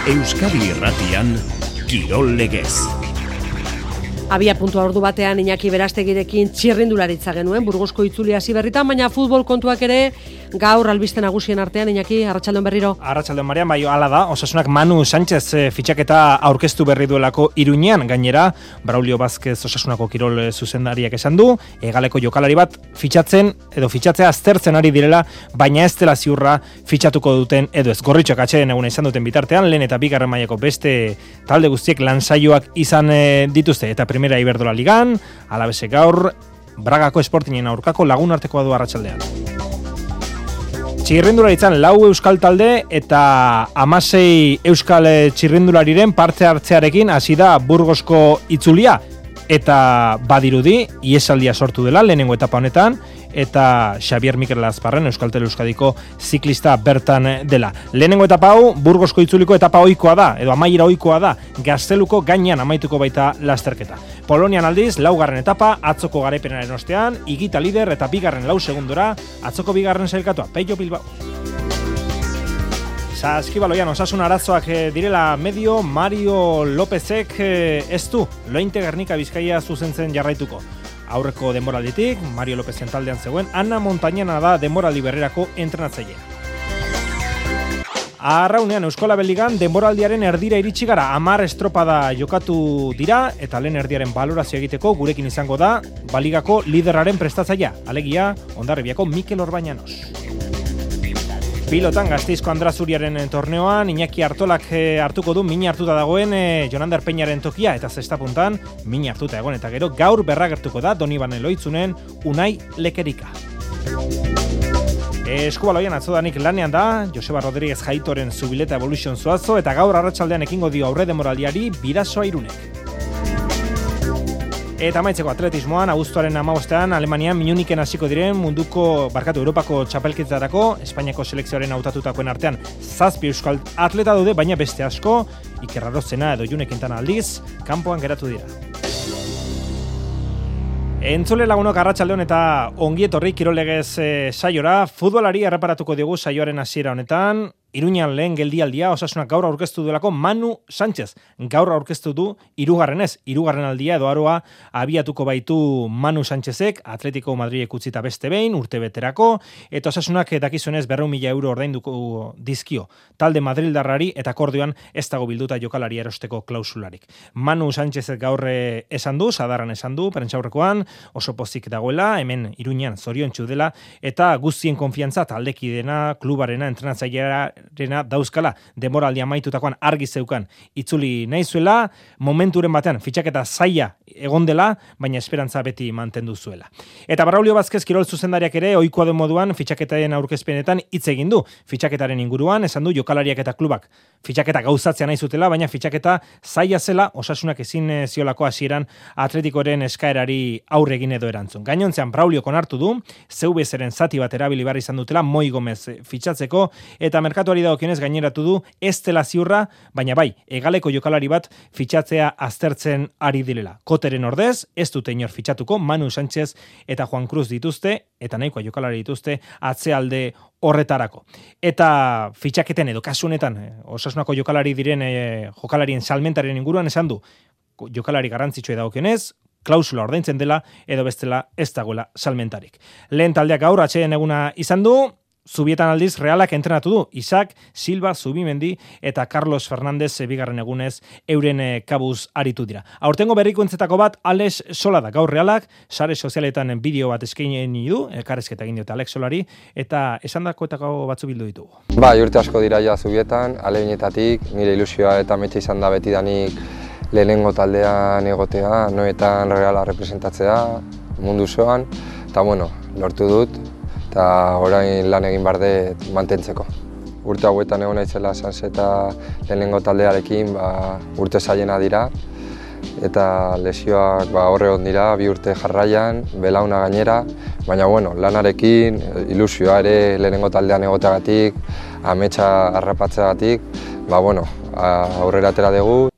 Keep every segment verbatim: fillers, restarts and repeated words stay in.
Euskadi Irratian, Kirol Legez. Abia puntua ordu batean Iñaki Berastegirekin txirrindularitza genuen, Burgosko itzuli hasi berritan, baina futbol kontuak ere gaur albiste nagusien artean. Iñaki, arratsaldon berriro. Arratsaldon Marian, bai, hala da, Osasunak Manu Sánchez e, fitxaketa aurkeztu berri duelako Iruñean, gainera, Braulio Vázquez Osasunako kirol zuzendariak esan du, hegaleko jokalari bat fitxatzen, edo fitxatzea aztertzen ari direla, baina ez dela ziurra fitxatuko duten, edo ez. Gorritxoak atxeden eguna izan duten bitartean, lehen eta bigarren mailako beste talde guztiek lansaioak izan e, dituzte, eta Primera Iberdola Ligan, alabese gaur, Bragako Sportingen aurkako lagun artekoa du arratsaldean. Txirrindularitzan lau euskal talde eta hamasei euskal txirrindulariren parte hartzearekin hasi da Burgosko itzulia. Eta badirudi, iesaldia sortu dela lehenengo etapa honetan, eta Xabier Mikel Lazparren Euskaltel Euskadiko ziklista bertan dela. Lehenengo etapa hau, Burgosko itzuliko etapa ohikoa da, edo amaiera ohikoa da, Gazteluko gainean amaituko baita lasterketa. Polonian aldiz, laugarren etapa, atzoko garaipenaren ostean, Igita lider eta bigarren lau segundora, atzoko bigarren sailkatua, Peio Bilbao. Saskibaloian osasun arazoak direla medio, Mario Lópezek ez du Lointe Gernika Bizkaia zuzentzen jarraituko. Aurreko denboralditik, Mario Lópezen taldean zegoen, Ana Montañana da denboraldi berrerako entrenatzailea. Arraunean Euskola Beligan denboraldiaren erdira iritsi gara, hamar estropada jokatu dira, eta lehen erdiaren balorazio egiteko gurekin izango da, baligako liderraren prestatzailea, alegia Hondarribiako Mikel Orbañanos. Pilotan Gasteizko Andrazuriaren torneoan, Iñaki Artolak hartuko du min hartuta dagoen e, Jonander Peñaren tokia, eta zesta puntan min hartuta egon, eta gero gaur berragertuko da Donibane Loitzunen Unai Lekerika. Eskubaloian atzodanik lanean da, Joseba Rodríguez Jaitoren Zubileta Evolution Zuazo, eta gaur arratsaldean ekingo dio aurre demoraldiari Bidasoa Irunek. Eta amaitzeko atletismoan, abuztuaren hamabostean, Alemanian Munichen hasiko diren munduko, barkatu, Europako txapelketarako, Espainiako selekzioaren hautatutakoen artean zazpi euskal atleta daude, baina beste asko, Iker Arrozena edo June Quintana aldiz, kanpoan geratu dira. Entzule lagunok arratsaldeon eta ongi etorri Kirol Legez e, saiora, futbolari erreparatuko diogu saioaren hasiera honetan. Iruñan lehen geldialdia, Osasunak gaur aurkeztu duelako Manu Sánchez. Gaur aurkeztu du hirugarrenez, hirugarren aldia edo aroa abiatuko baitu Manu Sánchezek, Atletico Madrilek utzita beste behin, urte beterako, eta Osasunak dakizunez berrehun mila euro ordainduko dizkio. Talde Madrildarrari eta akordioan ez dago bilduta jokalari erosteko klausularik. Manu Sánchezek gaur esan du, sadarran esan du, prentsaurrekoan, oso pozik dagoela, hemen Iruñan zoriontsu dela, eta guztien konfiantza taldekidena, klubarena, entrenatzaileara rena dauzkala, demoraldi amaitutakoan argi zeukan itzuli nahi zuela, momenturen batean fitxaketa zaila egon dela, baina esperantza beti mantendu zuela. Eta Braulio Vázquez kirol zuzendariak ere ohikoa den moduan fitxaketaren aurkezpenetan hitz egin du. Fitxaketaren inguruan esan du jokalariak eta klubak fitxaketa gauzatzea nahi zutela, baina fitxaketa zaila zela, Osasunak ezin ziolako hasieran Atletikoren eskaerari aurre egin edo erantzun. Gainontzean Braulio konartu du, C V zeren zati bat erabili behar izan dutela Moi Gomez fitxatzeko, eta merkatuari dagokionez gaineratu du ez dela ziurra, baina bai, hegaleko jokalari bat fitxatzea aztertzen ari direla. Koteren ordez, ez dute inor fitxatuko, Manu Sánchez eta Juan Cruz dituzte, eta nahikoa jokalari dituzte, atzealde horretarako. Eta fitxaketen edo kasu honetan, Osasunako jokalari diren e, jokalarien salmentaren inguruan esan du, jokalari garrantzitsua dagokionez, klausula ordaintzen dela, edo bestela ez dagoela salmentarik. Lehen taldeak gaur atxeden eguna izan du, Zubietan aldiz Realak entrenatu du, Isaac, Silva, Zubimendi eta Carlos Fernández bigarren egunez euren kabuz aritu dira. Aurtengo berrikuentzetako bat Alex Sola da, gaur Realak, sare sozialetan bideo bat eskaini du, elkarrezketa egin diote Alex Solari, eta esandakoetako batzu bildu ditugu. Bai, urte asko dira ja Zubietan, alegin,etatik, nire ilusioa eta metxe izan da betidanik lehenengo taldean egotea, noetan Reala representatzea, mundu zoan, eta bueno, lortu dut, eta orain lan egin behar dut mantentzeko. Urte hauetan egon naizela Sanse eta lehenengo taldearekin ba, urte zailena dira, eta lesioak ba, horre hon dira, bi urte jarraian, belauna gainera, baina bueno, lanarekin, ilusioa ere lehenengo taldean egoteagatik, ametsa harrapatzeagatik, ba, bueno, aurrera atera dugu.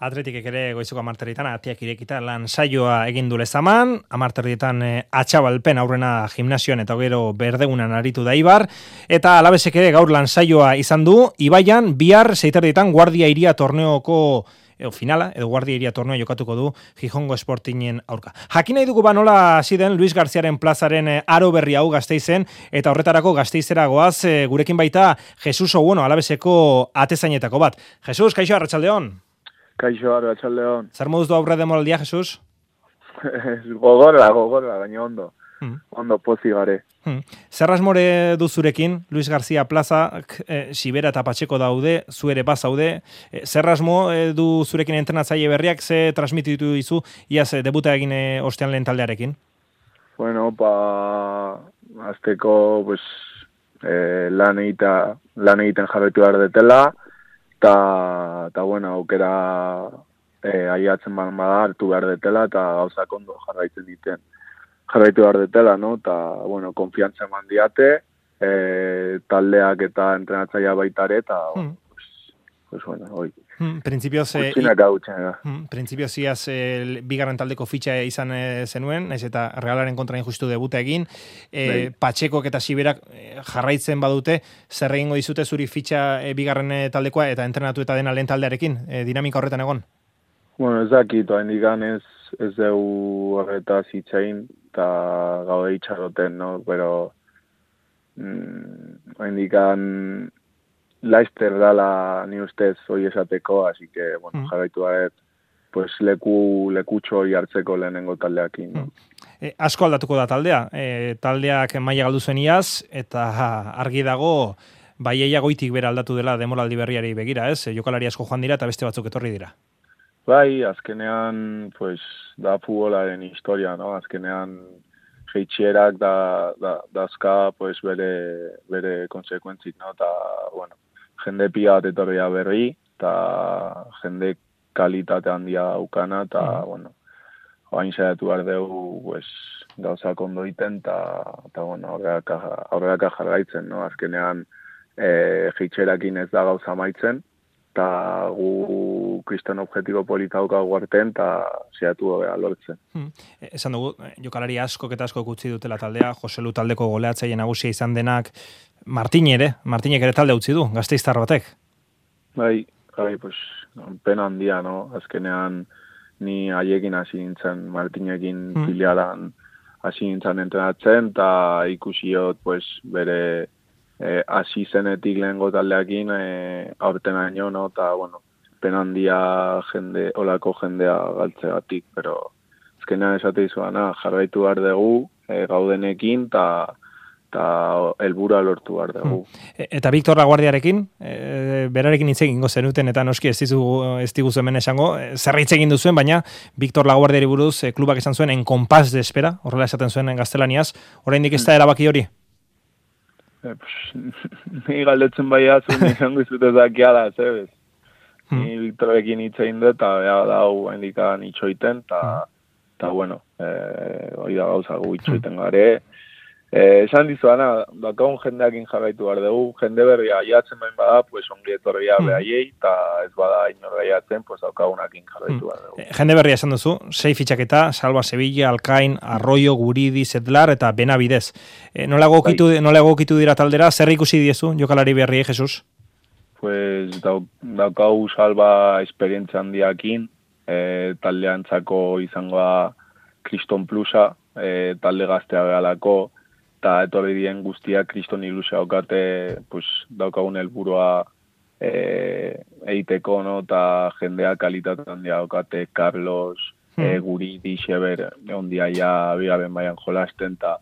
Atletikek ere goizuko amarterritan atiak irekita lan saioa egin du lezaman, amarterrietan e, atxabalpen aurrena gimnasioan eta gero berdegunan aritu da Ibar, eta Alabesek ere gaur lan saioa izan du, Ibaian bihar seiterdietan Guardia Iria torneoko edo finala, edo Guardia Iria torneo jokatuko du Gijongo Sportingen aurka. Jakin nahi dugu ba nola hasi den Luis Garziaren plazaren aro berri hau Gasteizen, eta horretarako Gasteizera goaz, e, gurekin baita Jesus Obueno, Alabeseko atezainetako bat. Jesus, kaixo, arratsaldeon. Kaixo, arratsaldeon. Zer moduz du aurre demoraldia, Jesus? gogorra, gogorra, baina ondo. Hmm. Ondo pozi gare. Hmm. Zer asmore du zurekin, Luis García Plaza, e, Sibera eta Patxeko daude, zu ere bazaude. E, zer asmo e, du zurekin entrenatzaile berriak, ze transmititu dizu, iaz e, debuta egin e, ostean lehen taldearekin? Bueno, pa, azteko, pues, eh, lan, egita, lan egiten jarretu behar detela, eta, ta, bueno, aukera eh, aiatzen bada hartu behar detela, eta gauzak ondo jarraitzen diten. Jarraitu behar detela, no? Ta, bueno, konfiantza eman diate, e, taldeak eta entrenatzailea baitare, eta, hmm. pues, pues, bueno, hoi. Hmm, Printzipioz, eh, Gutxinak hau txena. hmm, printzipioz iaz eh, bigarren taldeko fitxa izan eh, zenuen, naiz eta Realaren kontra injustu debuta egin, eh, Patxekok eta Siberak eh, jarraitzen badute, zer egingo dizute zuri fitxa eh, bigarren eh, taldekoa eta entrenatu eta dena lehen taldearekin, eh, dinamika horretan egon? Bueno, ez dakit, hain digan ez, ez dugu horretaz itxain, eta gaude itxarroten, no? Pero mm, hain digan laizter dala ni ustez hoi esateko, así que, bueno, mm. jarraitu garet, pues leku, lekutxo hori hartzeko lehenengo taldeakin, no? Mm. E, asko aldatuko da taldea, e, taldeak maila galdu zen iaz, eta ha, argi dago, Baieia goitik bera aldatu dela demoraldi berriari begira, ez? Jokalari asko joan dira eta beste batzuk etorri dira. Bai, azkenean, pues, da futbolaren historia, no? Azkenean, jeitxerak da, da, dazka, pues, bere, bere konsekuentzik, no? Ta, bueno, jende pia bat etorria berri, eta jende kalitate handia aukana, eta, mm. bueno, hain saiatu behar dugu, pues, gauzak ondo iten, eta, bueno, aurreraka jarraitzen, no? Azkenean, e, jeitxerakin ez da gauza maitzen, eta gu kriston objektibo polita daukagu artean, eta zehatu gobea lortzen. Hmm. Esan dugu, jokalari askok eta askok utzi dutela taldea, Joselu taldeko goleatzaile nagusia izan denak, Martin ere, Martinek ere talde utzi du, Gasteiztar batek. Bai, bai, pues, pena handia, no? Azkenean ni haiekin hasi nintzen, Martinekin hmm. filialan hasi nintzen entrenatzen, eta ikusiot, pues, bere hasi e, zenetik lehengo taldeakin e, aurten aino, no? Ta, bueno, pena handia jende, olako jendea galtzegatik, pero azkenean esate izuana, jarraitu behar dugu e, gaudenekin, eta ta helburua lortu behar dugu. Hmm. Eta Victor Laguardiarekin, e, berarekin hitz egingo zenuten, eta noski ez diguzu ez diguzu hemen esango, zer hitz egin duzuen, baina Victor Laguardiari buruz e, klubak esan zuen en compás de espera, horrela esaten zuen en gaztelaniaz, oraindik ez da erabaki hori? Ni galdetzen bai azun, izango izute zakiala, zebez. Hmm. Ni Victorekin hitzein dut, eta beha dau hendikan itxoiten, eta, bueno, hori da gauza gu itxoiten gare. Esan dizuana, dakagun jendeakin jarraitu behar dugu, jende berria jatzen bain bada, pues ongi etorria hmm. behaiei, eta ez bada inorra jatzen, pues daukagunakin jarraitu behar dugu. Jende berria esan duzu, sei fitxaketa, Salva Sevilla, Alkain, Arroyo, Guridi, Zedlar eta Benavidez. E, nola egokitu, nola egokitu dira taldera, zer ikusi diezu, jokalari berriei, Jesus? Pues daukagu Salva esperientzia handiakin, e, taldeantzako izangoa Kriston Plusa, e, talde gaztea behalako, eta etorri dien guztia kriston ilusia okate, pues, daukagun helburua e, eiteko, no? Ta jendea kalitate handia okate, Carlos, hmm. e, Guridi, Xeber, ondia ja bigaren baian jolasten, eta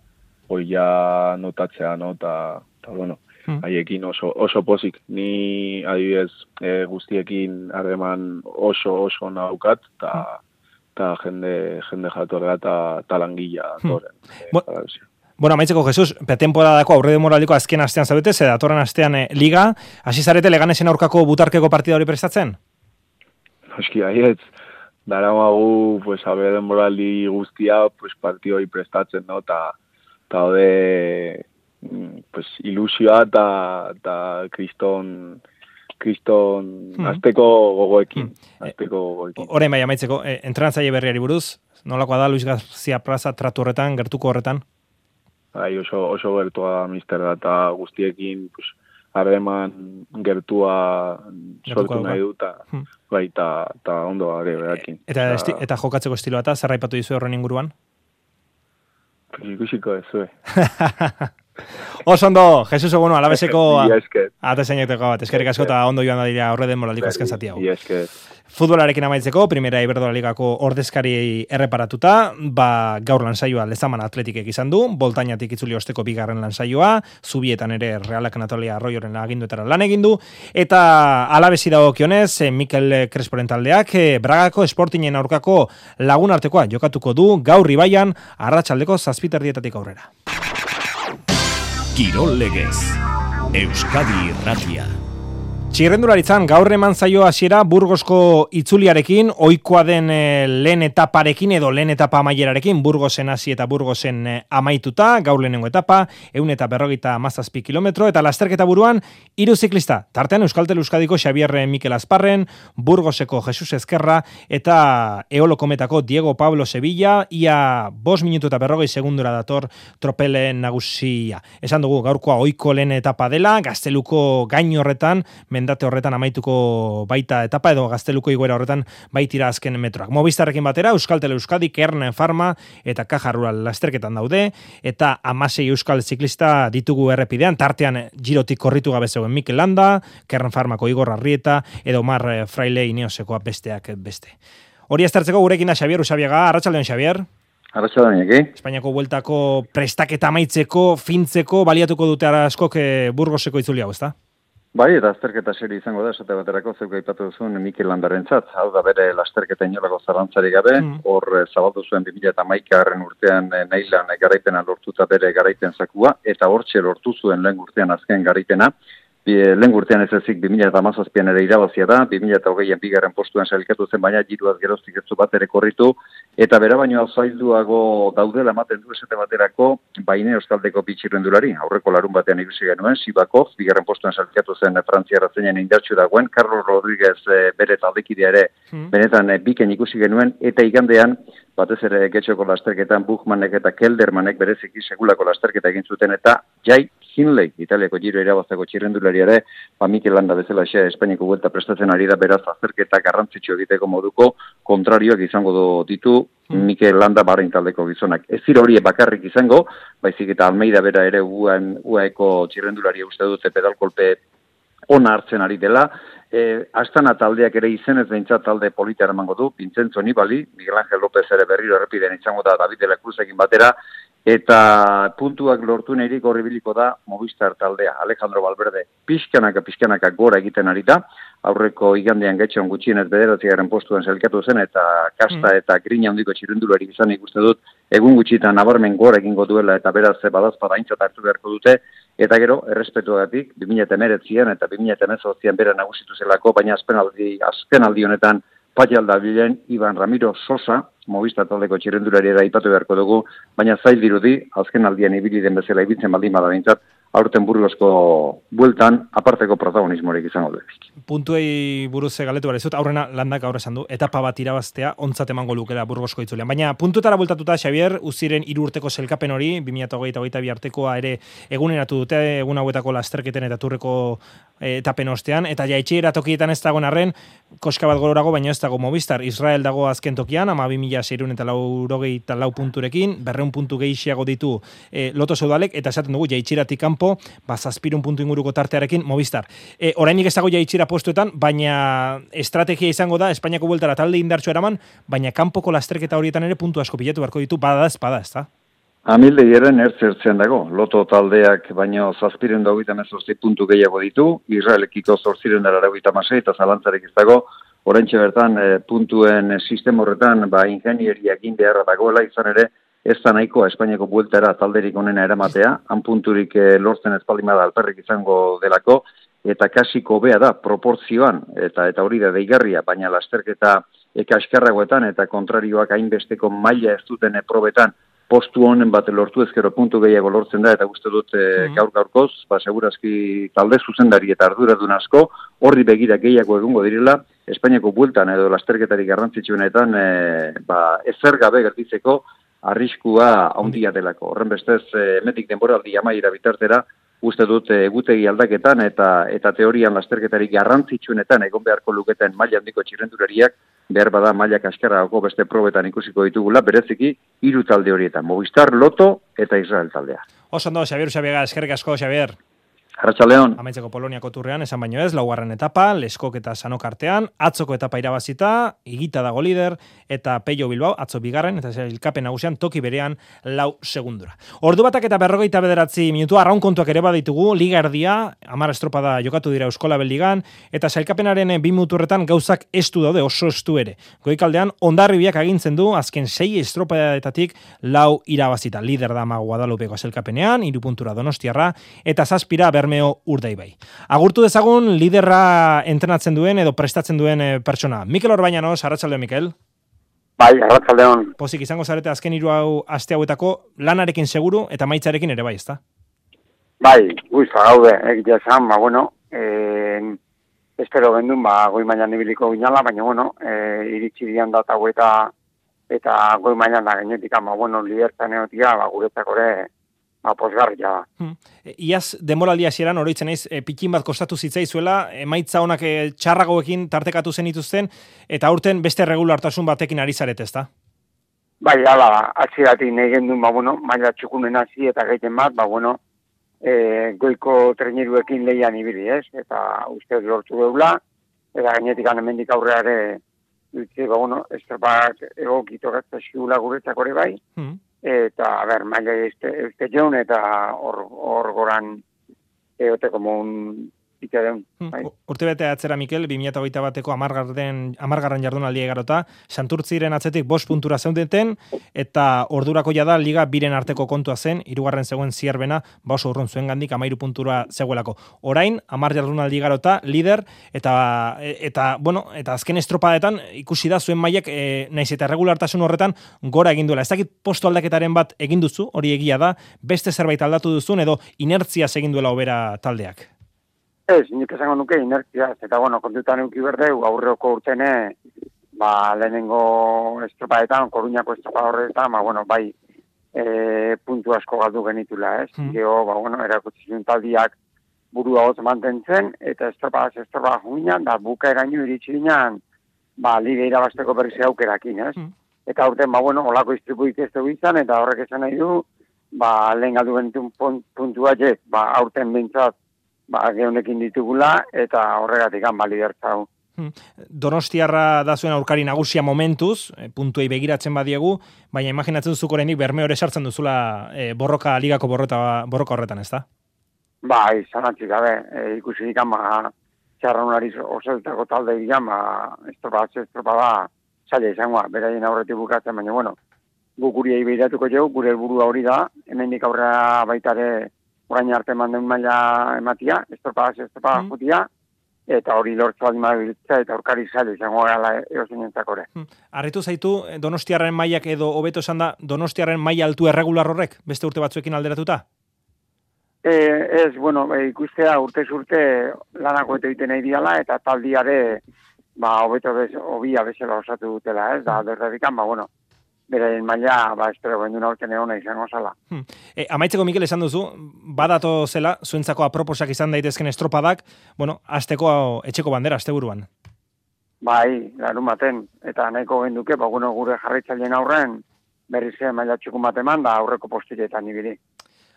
hoi ja notatzea, no? Ta, ta bueno, haiekin oso, oso pozik. Ni adibidez e, guztiekin harreman oso oso naukat, eta ta jende, jende jatorra eta talangilla atoren. Hmm. E, Bueno, amaitzeko, Jesus, pretemporadako aurre demoraldiko azken astean zaudete, ze datorren astean eh, liga, hasi zarete Leganesen aurkako butarkeko partida hori prestatzen? Eski, aietz, daramagu, pues, aurre demoraldi guztia, pues, partida hori prestatzen, no? Ta, ta ode, pues, ilusioa eta kriston, kriston Hmm. azteko gogoekin. Azteko gogoekin. Orain bai amaitzeko, e, entrenatzaile berriari buruz, nolakoa da Luis García Plaza tratu horretan, gertuko horretan? Bai, oso, oso gertua da mister da, eta guztiekin, pues, harreman gertua sortu nahi du, eta hmm. bai, eta ondo gare berakin. Eta, esti, eta jokatzeko estiloa eta zerraipatu dizu horren inguruan? Ikusiko ez, zue. Oso ondo, Jesus Ogono, alabeseko ate zeineteko bat, eskerrik asko eta ondo joan da dira horre den moraldiko azken zati hau. Futbolarekin amaitzeko, Primera Iberdrola Ligako ordezkari erreparatuta, ba, gaur lansaioa Lezaman Atletikek izan du, Boltainatik itzuli osteko bigarren lansaioa, Zubietan ere Realak Natalia Arroyoren aginduetara lan egin du, eta alabesi dagokionez, Mikel Cresporen taldeak, Bragako Sportingen aurkako lagun artekoa jokatuko du, gaur Ibaian, arratsaldeko zazpiterdietatik aurrera. Kirol Legez, Euskadi Irratia. Txirrendularitzan gaur eman zaio hasiera Burgosko itzuliarekin, ohikoa den e, lehen etaparekin edo lehen etapa amaierarekin, Burgosen hasi eta Burgosen e, amaituta, gaur lehenengo etapa, ehun eta berrogeita hamazazpi kilometro, eta lasterketa buruan hiru ziklista, tartean Euskaltel Euskadiko Xabier Mikel Azparren, Burgoseko Jesus Ezkerra, eta Eolo Kometako Diego Pablo Sevilla, ia bost minutu eta berrogei segundura dator tropele nagusia. Esan dugu, gaurkoa ohiko lehen etapa dela, Gazteluko gain horretan, mendate horretan amaituko baita etapa edo Gazteluko igoera horretan baitira azken metroak. Movistarrekin batera, Euskaltel Euskadi, Kern Pharma eta Caja Rural lasterketan daude, eta hamasei euskal ziklista ditugu errepidean, tartean girotik korritu gabe zegoen Mikel Landa, Kern Pharmako Igor Arrieta, edo Mar Fraile Ineosekoa besteak beste. Hori aztertzeko gurekin da Xabier Usabiaga, arratsaldeon Xabier. Arratsaldeon eki. Espainiako bueltako prestaketa amaitzeko, fintzeko, baliatuko dute askok Burgoseko itzuli hau, ezta? Bai, eta lasterketa serie izango da, esate baterako zeuk aipatu duzun Mikel Landarentzat, hau da bere lasterketa inolako zarantzarik gabe, hor mm. zabaldu zuen bi mila hamaikagarren urtean Neilan garaipena lortuta bere garaipen zakua, eta hortxe lortu zuen lehen urtean azken garaipena, lehen urtean ez ezik bi mila hamazazpian ere irabazia da, bi mila hogeian bigarren postuan sailkatu zen, baina giruaz geroztik ez bat ere korritu, eta bera baino alzailduago daudela ematen du esate baterako Baine Euskaldeko bitxirrendulari, aurreko larun batean ikusi genuen, Sibakov, bigarren postuan sailkatu zen frantziarra zeinen indartsu dagoen, Carlos Rodríguez e, bere taldekidea ere, hmm. benetan e, biken ikusi genuen, eta igandean, batez ere getxoko lasterketan Buchmannek eta Keldermanek bereziki segulako lasterketa egin zuten, eta Jai Hindley, Italiako giro irabazteko txirrendulari ere, ba Mikel Landa bezala xe Espainiako buelta prestatzen ari da, beraz azterketa garrantzitsu egiteko moduko kontrarioak izango ditu hmm. Mikel Landa barrein taldeko gizonak. Ez zira horiek bakarrik izango, baizik eta Almeida bera ere U A Eko txirrendulari uste dute pedalkolpe ona hartzen ari dela, E, Astana taldeak ere izenez behintzat talde polita eramango du, Vincenzo Nibali, Miguel Ángel López ere berriro errepidean izango da David de la Cruzekin batera, eta puntuak lortu nahirik horribiliko da Movistar taldea, Alejandro Valverde pixkanaka pixkanaka gora egiten ari da, aurreko igandean getxean gutxienez bederatzigarren postuan sailkatu zen, eta kasta eta grina handiko txirrendulari izan ikuste dut, egun gutxitan nabarmen gora egingo duela, eta beraz badazpada aintzat hartu beharko dute, eta gero, errespetuagatik, bi mila hemeretzian eta bi mila hemezortzian bera nagusitu zelako, baina azkenaldi, azkenaldi honetan Patialda bilen Iban Ramiro Sosa, Movistar taldeko txirrendulari da ipatu beharko dugu, baina zail dirudi, azkenaldian ibili den bezala ibiltzen baldin bada behintzat, aurten Burgosko bueltan aparteko protagonismorik izango du. Puntuei buruz galetu behar izut, aurrena Landak gaur esan du, etapa bat irabaztea ontzat emango lukela Burgosko itzulean. Baina puntuetara bueltatuta, Xabier, Uziren hiru urteko selkapen hori, bi mila hogeita hogeita bi artekoa ere eguneratu dute, egun hauetako lasterketen eta turreko etapen ostean, eta jaitxera tokietan ez dagoen arren, koska bat gororago, baina ez dago Movistar, Israel dago azken tokian, ama bi mila seiehun eta laurogeita lau punturekin, berreun puntu gehiago ditu e, Loto Soudalek, eta esaten dugu jaitxeratik kanpo, ba, zazpirun puntu inguruko tartearekin Movistar. E, orainik ez dago jaitxera postuetan, baina estrategia izango da, Espainiako bueltara talde indartsu eraman, baina kanpoko lasterketa horietan ere puntu asko pilatu beharko ditu, bada ezpada, ez da? Amilde eren ertzertzen dago, Loto taldeak baino zazpiren dagoita mezortzi puntu gehiago ditu, Israelekiko zortziren dara dagoita masei, eta zalantzarek ez dago, oraintxe bertan e, puntuen e, sistema horretan, ba, ingenieriak egin beharra dagoela, izan ere, ez da nahiko Espainiako bueltara talderik onena eramatea, han punturik e, lortzen espaldimada alperrik izango delako, eta kasiko bea da, proportzioan, eta eta hori da deigarria, baina lasterketa eka eskarragoetan, eta kontrarioak hainbesteko maila ez duten probetan, postu honen bat lortu ezkero puntu gehiago lortzen da, eta uste dut e, gaur gaurkoz, ba, segurazki talde zuzendari eta arduradun asko, horri begira gehiago egungo direla, Espainiako bueltan edo lasterketarik garrantzitsuenetan e, ba, ezer gabe gertitzeko arriskua handia delako. Horren bestez, e, emetik denboraldi amaiera bitartera, uste dut egutegi aldaketan eta eta teorian lasterketarik garrantzitsuenetan egon beharko luketen maila handiko txirrendulariak behar bada maila kaskarragoko beste probetan ikusiko ditugula, bereziki hiru talde horietan, Movistar, Loto eta Israel taldea. Oso ondo, Xabier Usabiaga, eskerrik asko, Xabier. Arratsaldeon. Amaitzeko Poloniako turrean, esan baino ez, laugarren etapa, Leskok eta Sanok artean, atzoko etapa irabazita, Igita dago lider, eta Peio Bilbao, atzo bigarren, eta ilkapen nagusian toki berean lau segundura. Ordu batak eta berrogeita bederatzi minutu, arraun kontuak ere baditugu, liga erdia, hamar estropada jokatu dira Euskolabel ligan, eta sailkapenaren bi muturretan gauzak estu daude, oso estu ere. Goikaldean, Hondarribiak agintzen du, azken sei estropadetatik lau irabazita. Lider da Mago Guadalupeko sailkapenean, hiru puntura Donostiarra, eta zazpira Bermeo Urdaibai. Agurtu dezagun liderra entrenatzen duen edo prestatzen duen e, pertsona. Mikel Orbañanos, arratsaldeon Mikel. Bai, arratsaldeon. Pozik izango zarete azken hiru hau aste hauetako lanarekin seguru eta maitzarekin ere bai, ezta? Bai, guizta gaude, egitea esan, ba, bueno, eh, espero gendun, ba, goi mailan ibiliko ginala, baina, bueno, eh, iritsi dian data eta eta goi mailan da genetik, ba, bueno, lidertan egotia, ba, guretzako ere, ba, posgarria da. Hmm. Iaz, demoraldia hasieran oroitzen naiz, e, pikin bat kostatu zitzaizuela, emaitza honak e, txarragoekin tartekatu zen ituzten, eta aurten beste regulartasun batekin ari zaret, ezta? Bai, ala, atxiratik nahi gendun, ba, bueno, maila txukunen hasi eta gaiten bat, ba, bueno, e, goiko treneruekin lehian ibili, ez? Eta uste lortu geula, eta gainetik hemendik aurreare, dutze, ba, bueno, estropak egokito gaztasikula guretzako ere bai, hmm. Eta, a ber, maila euste joan, eta hor, hor goran egote como un pite deun. Bai. Urte bete atzera, Mikel, bi mila hogeita bateko amargarren, amargarren jardunaldia egarota, Santurtziren atzetik bost puntura zeundeten, eta ordurako jada liga biren arteko kontua zen, hirugarren zegoen Zierbena, ba oso urrun zuen gandik, amairu puntura zegoelako. Orain, amar jardunaldi egarota, lider, eta, eta, bueno, eta azken estropadetan, ikusi da zuen mailak, e, naiz eta regulartasun horretan, gora egin duela. Ez dakit postu aldaketaren bat egin duzu, hori egia da, beste zerbait aldatu duzun, edo inertziaz egin duela obera taldeak. Ez, nik esango nuke inertzia, eta bueno, kontutan euki berdeu, aurreko urtene, ba, lehenengo estropadetan, Koruñako estropa horretan, ba, bueno, bai, e, puntu asko galdu genitula, ez? Hmm. Gero, ba, bueno, erakutsi taldiak burua hotz mantentzen, eta estropa, estropa junginan, da buka eraino iritsi ginen, ba, liga irabasteko berriz aukerakin, ez? Hmm. Eta urten, ba, bueno, olako istripuik ez dugu izan, eta horrek esan nahi du, ba, lehen galdu genitun puntua jet, ba, aurten bintzat, ba, gehonekin ditugula, eta horregatik han balidertzau. Donostiarra da zuen aurkari nagusia momentuz, puntuei begiratzen badiegu, baina imaginatzen duzuk oraindik Bermeo ere sartzen duzula e, borroka, ligako borrota, borroka horretan, ez da? Bai, zanatzik gabe, e, ikusi dikan, ba, txarranulariz oseltako talde dikan, ba, estropa, estropa da, zaila izangoa, beraien aurretik bukatzen, baina, bueno, guk guriei behiratuko jau, gure helburua hori da, hemendik aurrera baitare, orain arte manden maila ematia, estropa, estropa mm. jutia, eta hori lortzu aldima biltza, eta aurkari zaila izango gala erosin entzakore. Mm. Arritu zaitu, Donostiarren mailak edo hobeto esan da, Donostiarren maila altu erregular horrek, beste urte batzuekin alderatuta? E, ez, bueno, e, ikustea urte urte lanako eta egiten nahi diala, eta taldiare, ba, hobeto bez, obia bezala osatu dutela, ez, da, derredikan, ba, bueno, beraien maila, ba, espero, benduna urten egona izango zala. Hmm. E, amaitzeko, Mikel, esan duzu, badato zela, zuentzako aproposak izan daitezken estropadak, bueno, azteko etxeko bandera, azte buruan. Bai, larun baten, eta nahiko genduke, ba, bueno, gure jarraitzaileen aurren, berriz maila txukun bat eman, da aurreko postiletan ibili.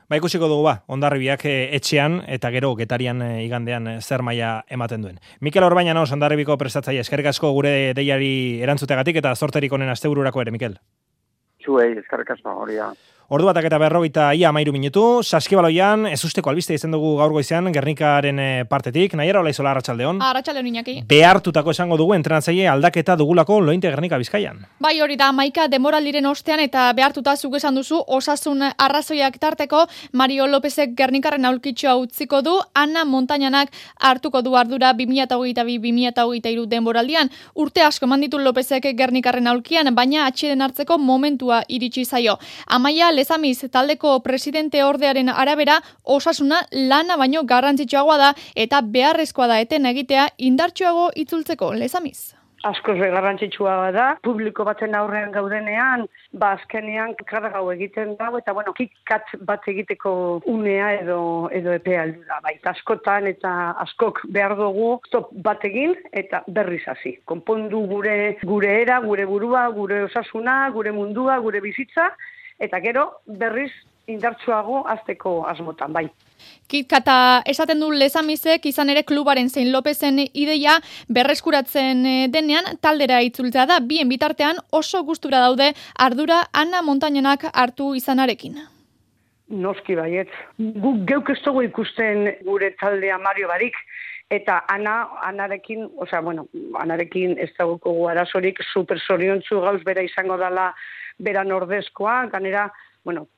Ba, ikusiko dugu ba, Hondarribiak etxean, eta gero getarian igandean zer maila ematen duen. Mikel Orbañanos, Hondarribiko prestatzaile, eskerrik asko gure deiari erantzutegatik, eta zorterik honen astebururako ere, Mikel. Zuei, eskerrik asko, hori da. Ordu batak eta berrogeita ia amairu minutu, Saskibaloian, ez usteko albiste izan dugu gaur goizean, Gernikaren partetik, Naiara Olaizola, arratsaldeon. Arratsaldeon Iñaki. Behartutako esango dugu entrenatzaile aldaketa dugulako Lointe Gernika Bizkaian. Bai, hori da, hamaika demoraldiren ostean eta behartuta zuk esan duzu osasun arrazoiak tarteko Mario Lopezek Gernikaren aulkitxoa utziko du, Ana Montañanak hartuko du ardura bi mila hogeita bi bi mila hogeita hiru denboraldian. Urte asko manditu Lopezek Gernikarren aulkian, baina atxeden hartzeko momentua iritsi zaio. Amaia Lezamiz taldeko presidente ordearen arabera osasuna lana baino garrantzitsuagoa da eta beharrezkoa da eten egitea indartsuago itzultzeko. Lezamiz. Askoz garrantzitsua da, publiko baten aurrean gaudenean, ba azkenean kargau egiten dago, eta bueno, kikat bat egiteko unea edo edo epea heldu da. Bai, askotan eta askok behar dugu stop bat egin eta berriz hasi. Konpondu gure gure era, gure burua, gure osasuna, gure mundua, gure bizitza, eta gero berriz indartsuago azteko asmotan, bai. Kitkata esaten du Lezamizek izan ere klubaren zein Lopezen ideia berreskuratzen denean taldera itzultzea da, bien bitartean oso gustura daude ardura Ana Montañanak hartu izanarekin. Noski baiet. Guk geuk ez dugu ikusten gure taldea Mario barik, eta Ana, Anarekin, osea, bueno, Anarekin ez dagoko arazorik super zoriontsu gauz bera izango dela beran ordezkoa, ganera bueno,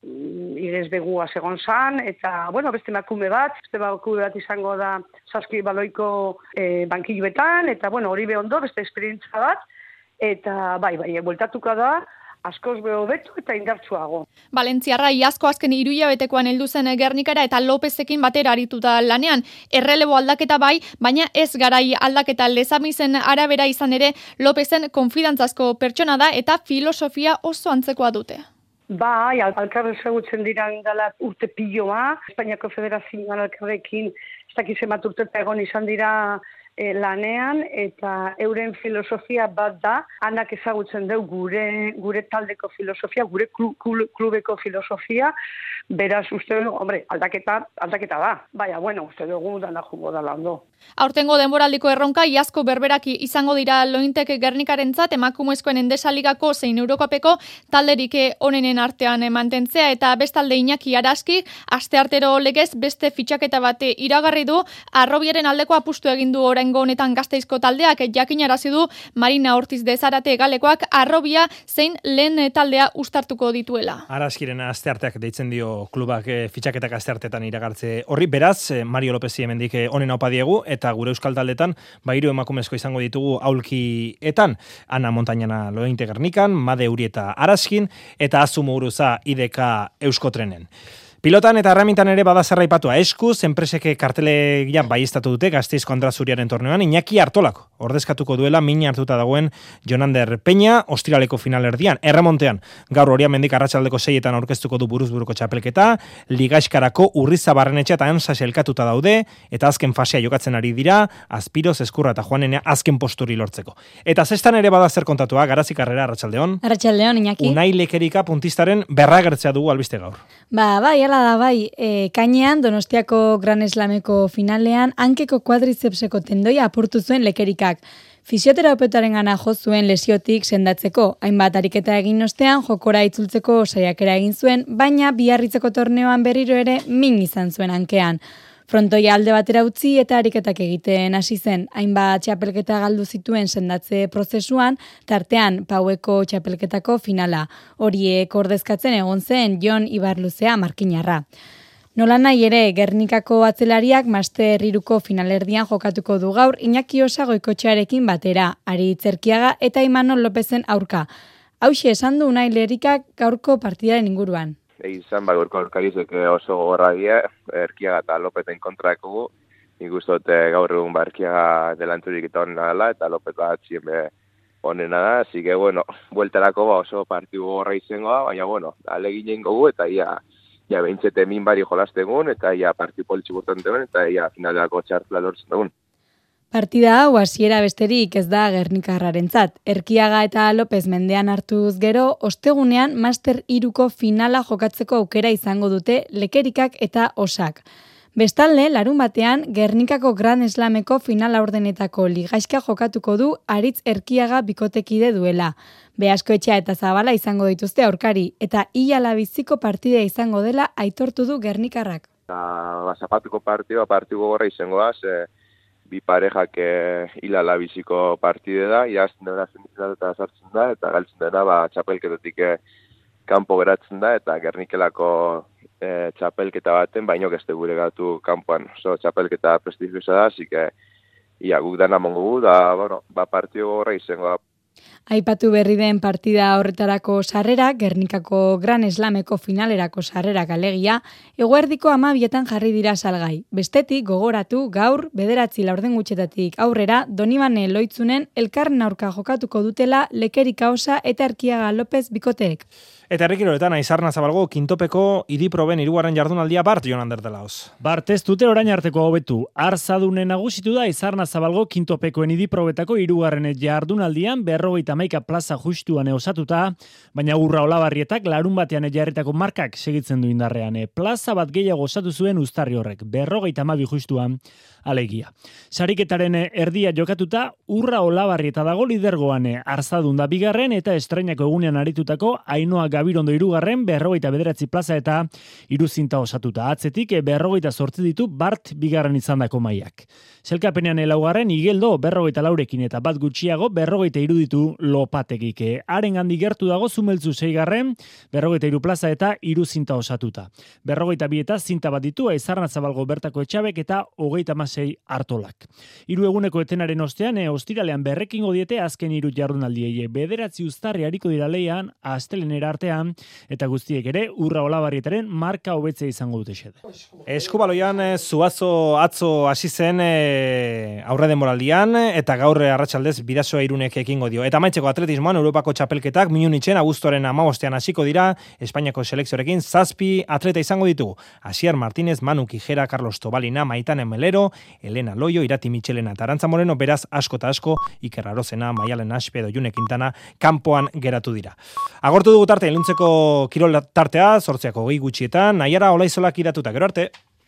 irez begua segon zan, eta, bueno, beste emakume bat, beste emakume bat izango da Saskibaloiko e, bankilluetan, eta, bueno, hori behondo, beste esperientza bat, eta, bai, bai, bueltatuko da, askoz beho betu eta indartsuago. Valentziarra iazko azken hiruhilabetekoan heldu zen Gernikara eta Lopezekin batera arituta lanean. Errelebo aldaketa bai, baina ez garai aldaketa. Lezamizen arabera izan ere Lopezen konfidantzazko pertsona da eta filosofia oso antzekoa dute. Bai, alkarre ezagutzen dira indala urte piloa, Espainiako Federazioan alkarrekin ez dakiz emat urte egon izan dira e, lanean, eta euren filosofia bat da, Anak ezagutzen deu gure gure taldeko filosofia, gure klu, klu, klubeko filosofia, beraz uste dugu, hombre, aldaketa, aldaketa da, baina, bueno, uste dugu dana jungo dala ondo. Aurtengo denboraldiko erronka iazko berberaki izango dira Lointek Gernikarentzat emakumezkoen Endesaligako zein Eurokopeko talderik onenen artean mantentzea eta bestalde Iñaki Araski asteartero legez beste fitxaketa bate iragarri du. Arrobiaren aldeko apustu egin du oraingo honetan Gasteizko taldeak jakinarazi du Marina Ortiz de Zarate galekoak Arrobia zein lehen taldea uztartuko dituela. Araskiren astearteak deitzen dio klubak fitxaketak asteartetan iragartze horri, beraz Mario Lopezi hemendik onen opa diegu eta gure euskal taldetan ba hiru emakumezko izango ditugu aulkietan, Ana Montañana Lointe Gernikan, Made Urieta Araskin eta Azu Muguruza I D K Euskotrenen. Pilotan eta erramintan ere bada zerraipatua eskuz, enpreseke kartelegia baiestatu dute Gasteizko Andrazuriaren torneoan, Iñaki Artolak ordezkatuko duela min hartuta dagoen Jonander Peña, ostiraleko finalerdian, erremontean, gaur Oriamendik arratsaldeko seietan aurkeztuko du buruzburuko txapelketa, Ligaxkarako Urriza Barrenetxe eta Ansa elkatuta daude, eta azken fasea jokatzen ari dira, Azpiroz, Ezkurra eta Juanenea azken posturi lortzeko. Eta zestan ere bada zer kontatua, Garazik Karrera, arratsaldeon. Arratsaldeon, Iñaki. Unai Lekerika puntistaren berragertzea dugu albiste gaur. Ba, bai, ala da, bai, e, kainean Donostiako Gran Slameko finalean hankeko kuadrizepseko tendoia apurtu zuen Lekerikak. Fisioterapeutarengana jo zuen lesiotik sendatzeko, hainbat ariketa egin ostean jokora itzultzeko saiakera egin zuen, baina biarritzeko torneoan berriro ere min izan zuen hankean. Frontoia alde batera utzi eta ariketak egiten hasi zen, hainbat txapelketa galdu zituen sendatze prozesuan, tartean Paueko txapelketako finala. Horiek ordezkatzen egon zen Jon Ibarluzea markinarra. Nola nahi ere, Gernikako atzelariak Master hiruko finalerdian jokatuko du gaur Iñaki Osa Goikotxearekin batera, Ari Itzerkiaga eta Imanol Lopezen aurka. Hauxe esan du Unai Lerikak gaurko partidaren inguruan. Izan, ba, gaurko aurkarizek oso gogorra die, Erkiaga eta Lopezen kontrakugu. Nik uste dut gaur egun ba, Erkiaga delantzurik eta honena dela, eta Lopez bat zienbe honena da. Así que, bueno, bueltarako ba, oso partidu gogorra izango da, baina, bueno, aleginen gogu, eta ia, ia behintzete min bari jolastegun, eta ia partidu politxi burtan degun, eta ia finalako txartela lortzen dugun. Partida hau hasiera besterik ez da Gernikarrarentzat. Erkiaga eta Lopez mendean hartuz gero, ostegunean Master hiruko finala jokatzeko aukera izango dute Lekerikak eta Osak. Bestalde, larun batean, Gernikako Grand Slameko final laurdenetako ligaizka jokatuko du Aritz Erkiaga bikotekide duela. Beaskoetxea eta Zabala izango dituzte aurkari, eta Ilala biziko partidea izango dela aitortu du Gernikarrak. Ba, zapatuko partidua, partidu gorra izango da, ze bi parejak e, Ilala biziko partide da, iazten dena zenditzen eta sartzen da, eta galtzen dena ba, txapelketatik e, kanpo geratzen da, eta Gernikelako e, txapelketa baten, baino gezte gure gatu kanpoan. Oso txapelketa prestigiosa da, así que ia, guk dana mongu gu, da, bueno, ba, partidu gorra izango da. Aipatu berri den partida horretarako sarrera, Gernikako Gran Slameko finalerako sarrerak alegia, eguerdiko amabietan jarri dira salgai. Bestetik, gogoratu, gaur, bederatzi laurden gutxetatik aurrera, Donibane Loitzunen elkarren aurka jokatuko dutela Lekerika Osa eta Erkiaga López bikoteek. Eta herrikiroletan Aizarna Zabalgo kintopeko idiproben hirugarren jardunaldia Bart Jon Ander de Laos. Bart ez dute orain arteko hobetu. Arzadunen nagusitu da Aizarna Zabalgo kintopekoen idiprobetako hirugarren jardunaldian berrogeita hamaika plaza justuan osatuta, baina Urra Olabarrietak larun batean jarritako markak segitzen du indarrean. Plaza bat gehiago osatu zuen uztarri horrek, berrogeita hamabi justuan alegia. Sariketaren erdia jokatuta, Urra Olabarrieta dago lidergoan, Arzadun da bigarren eta estreinako egunean aritutako Ainoa Gabirondo hirugarren, berrogeita bederatzi plaza eta hiruzinta osatuta. Atzetik berrogeita zortzi ditu Bart bigarren izandako mailak. Selkapenean laugarren Igeldo berrogeita laurekin eta bat gutxiago berrogeita hiru ditu Lopategik. Haren handi gertu dago Zumeltzu seigarren, berrogeita hiru plaza eta hiruzinta osatuta. Berrogeita bi eta zinta bat ditu Aizarna Zabalgo bertako Etxabek eta hogeita hamasei Artolak. Hiru eguneko etenaren ostean, e, ostiralean berrekingo diete azken hiru jardunaldiei. Bederatzi uztarri hariko dira leian, astelenera artean, eta guztiek ere Urra Olabarrietaren marka hobetzea izango dute xede. Eskubaloian Zuazo atzo hasi zen e, aurre denboraldian, eta gaur arratsaldez Bidasoa Irunek ekingo dio. Eta maitzeko atletismoan Europako txapelketak Munichen abuztuaren hamabostean hasiko dira, Espainiako selekzioarekin zazpi atleta izango ditugu. Asier Martínez, Manu Kijera, Carlos Tobalina, Maitane Melero, Elena Loio, Irati Michelena eta Arantza Moreno, beraz asko eta asko, Iker Arozena, Maialen Aspe edo June Quintana kanpoan geratu dira. Agortu dugu tarte iluntzeko kirol tartea, zortziako gehi gutxietan, Naiara Olaizolak iratuta, gero arte.